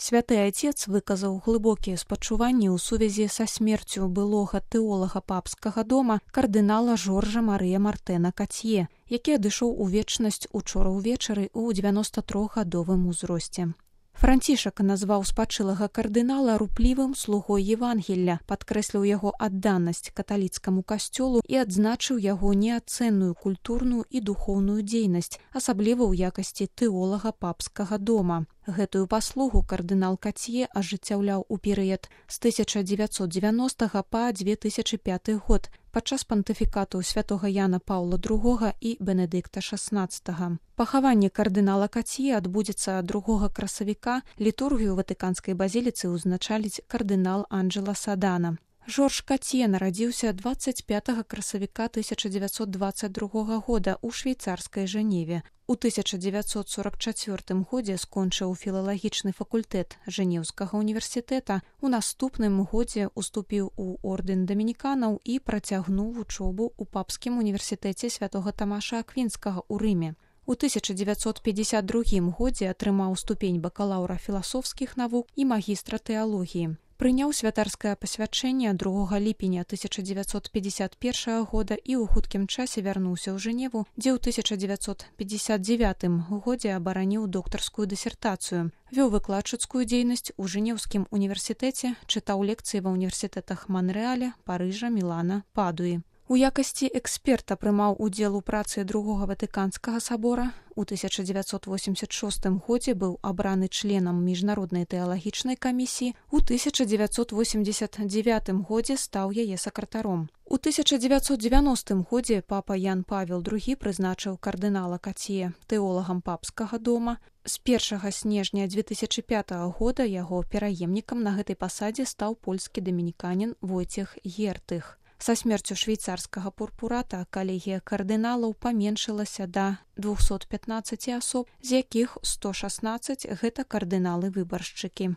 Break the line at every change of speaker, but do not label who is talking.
Святы Айцец выказаў глыбокія спачуванні ў сувязі са смерцю былога тэолага папскага дома кардынала Жоржа Марыя Мартена Кацье, які адышоў у вечнасць учора ўвечары ў 93гадовым узросце. Францішак назваў спачылага кардынала руплівым слугой Евангелля, падкрэсліў яго адданасць каталіцкаму касцёлу і адзначыў яго неацэнную культурную і духоўную дзейнасць, асабліва ў якасці тэолага папскага дома. Гэтую паслугу кардынал Кацье ажыццяўляў у перыяд з 1990 па 2005 год падчас пантыфікату святога Яна Паўла II і Бенедыкта XVI. Пахаванне кардынала Кацье адбудзецца 2 красавіка, літургію ватыканскай базіліцы ўзначаліць кардынал Анджела Садана. Жорж Кацье нарадзіўся 25 красавіка 1922 года ў швейцарскай Жэневе. У 1944 годзе скончыў філалагічны факультэт Жэнеўскага універсітэта, у наступным годзе уступіў у ордэн дамініканаў і працягнуў вучобу ў папскім універсітэце святога Тамаша Аквінскага ў Рыме. У 1952 годзе атрымаў ступень бакалаўра філасофскіх навук і магістра тэалогіі. Прыняў святарскае пасвячэнне 2 ліпеня 1951 года і ў хуткім часе вярнуўся ў Жэневу, дзе ў 1959 годзе абараніў доктарскую дысертацыю. Вёў выкладчыцкую дзейнасць у Жэнеўскім універсітэце, чытаў лекцыі ва ўніверсітэтах Манрэаля, Парыжа, Мілана, Падуі. У якасці эксперта прымаў удзел у працы Другога Ватыканскага сабора. У 1986 годзе быў абраны членам міжнароднай тэалагічнай камісіі, у 1989 годзе стаў яе сакратаром. У 1990 годзе папа Ян Павел II прызначыў кардынала Кацье тэолагам папскага дома. З 1 снежня 2005 года яго пераемнікам на гэтай пасадзе стаў польскі дамініканін Войцех Гертых. Са смерцю швейцарскага пурпурата калегія кардыналаў паменшылася да 215 асоб, з якіх 116 гэта кардыналы-выбаршчыкі.